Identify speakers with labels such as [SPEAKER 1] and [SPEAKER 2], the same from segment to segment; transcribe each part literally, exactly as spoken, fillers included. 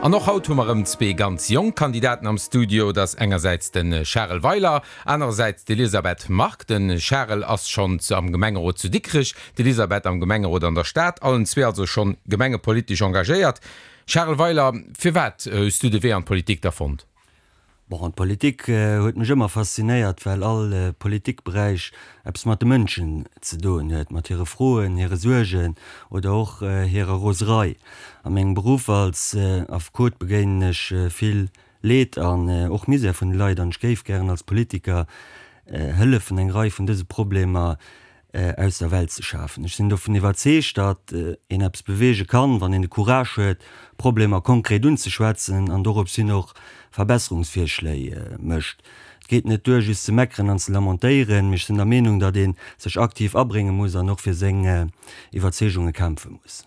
[SPEAKER 1] An och haut hu mer erëm zwee ganz jonk Kandidaten am Studio. Dat ass engersäits de Charel Weiler, anerersäits d'Elisabeth Margue. De Charel ass schonn am Gemengerot zu Dikrech, d'Elisabeth am Gemengerot an der Stad. Allen zwee also schonn gemengepolitesch engagéiert. Charel Weiler, firwat hues du de Wee an d'Politik da fonnt?
[SPEAKER 2] Bon, d'Politik huet mech ëmmer faszinéiert, well all Politikberäich eppes mat de Mënschen ze doen huet, mat hire Froen, hire Suergen oder och hirer Roserei. A mengem Beruff als Affekot begéinen ech vill Leed an och Misär vun de Leit an ech géif gären als Politiker hëllefen, eng Rei vun dëse Problemer aus der Welt ze schafen. Ech sinn dovun iwwerzeegt, datt een eppes beweege kann, wann een de Courage huet, Problemer konkret unzeschwätzen an dorops hin och Verbesserungsvirschléi mécht. Et geet net duer, just ze meckeren an ze lamentéieren, mee ech sinn der Meenung, datt ee sech aktiv abrénge muss an och fir seng Iwwerzeegunge kämpfe muss.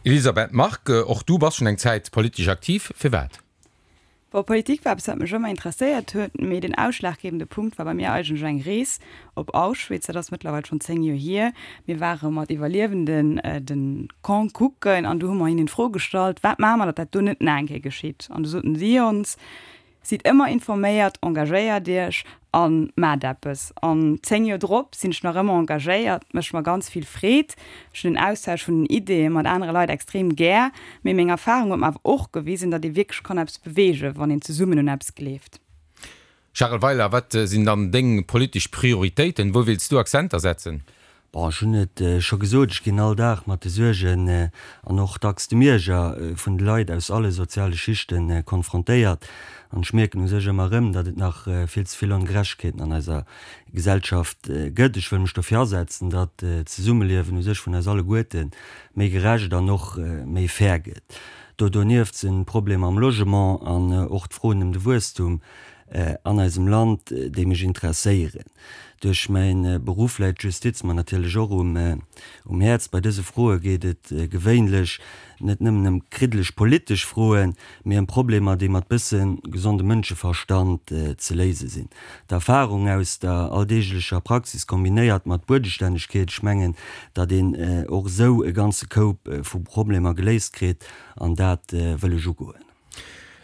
[SPEAKER 1] Elisabeth Margue, och du bass schonn eng Zäit politesch aktiv. Firwat?
[SPEAKER 3] Bon, Politik war eppes, wat mech ëmmer interesséiert huet, mee den ausschlaggebende Punkt war bei mir eigentlech eng Rees op Auschwitz. Dat ass mëttlerweil schonn zéng Joer hier. Mir ware mat Iwwerliewenden de Camp kucken an du hu mer hinnen d'Fro gestallt, Wat maache mer, datt dat do net nach eng Kéier geschitt? An du soten si ons, Sidd ëmmer informéiert, engagéiert iech a maacht eppes. An zéng Joer drop sinn ech nach ëmmer engagéiert, mécht mer ganz vill Freed. Ech hunn den Austausch vun den Ideeë mat anere Leit extrem gär. Mee meng Erfarung huet mer awer och gewisen, datt ee wierklech kann eppes beweegen, wann een zesummen un eppes gleeft.
[SPEAKER 1] Charel Weiler, Wat sinn dann deng politesch Prioritéiten? Wou wéilts du Akzenter setzen?
[SPEAKER 2] Bon, ech hunn et scho gesot, ech ginn all Dag mat de Suergen an och dacks dem Ierger vun de Leit aus alle soziale Schichte konfrontéiert. An ech mierken u sech ëmmer erëm, datt et nach vill ze vill Ongerechtegkeeten an eiser Gesellschaft gëtt. Ech wëll mech dofir asetzen, datt d'Zesummeliewen u sech vun eis alleguerte méi gerecht an och méi fair gëtt. Do donieft sinn d'Problemer am Logement an och d'Froen ëm de Wuesstum an eisem Land, déi mech interesséieren. Duerch mäi Beruff läit d'Justiz mer natierlech och um Häerz. Bei dëse Froe geet et gewéinlech net nëmmen ëm kriddeleg politesch Froen, mee ëm Problemer, déi mat bësse gesonde Mënscheverstand ze léise sinn. D'Erfarung aus der alldeeglecher Praxis kombinéiert mat Buedestännegkeet, ech mengen, datt een och esou e ganze Koup vu Problemer geléist kritt, an dat wëll ech ugoen.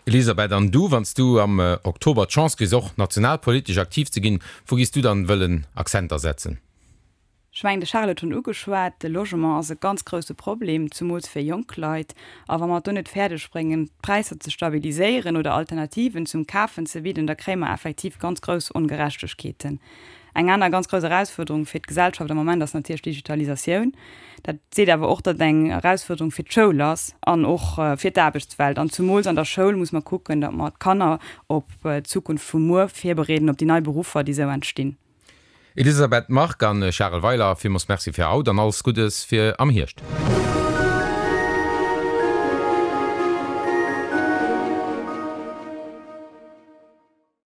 [SPEAKER 1] Elisabeth, an du, wann s du am Oktober d'Chance kriss och nationalpolitesch aktiv ze ginn, wou giss du dann wëllen Akzenter setzen?
[SPEAKER 3] Ech mengen, de Charel huet schonn ugeschwat, de Logement ass e ganz grousse Problem, zumools fir jonk Leit. A wa mer et do net fäerdeg bréngen, d'Präisser ze stabiliséieren oder Alternativen zum Kafen ze bidden, da kréie mer effektiv ganz grouss Ongerechtegkeeten. Eng aner ganz grouss Erausfuerderung fir d'Gesellschaft am Moment ass natierlech d'Digitalisatioun. Dat seet awer och, datt et eng Erausfuerderung fir d'Schoul ass an och fir d'Aarbechtswelt. An zumools an der Schoul muss mer kucken, datt mer d'Kanner op d'Zukunft vu muer virbereeden, op déi nei Beruffer, déi esou entstinn.
[SPEAKER 1] Elisabeth Margue an Charel Weiler, villmools Merci fir haut an alles Guddes fir am Hierscht.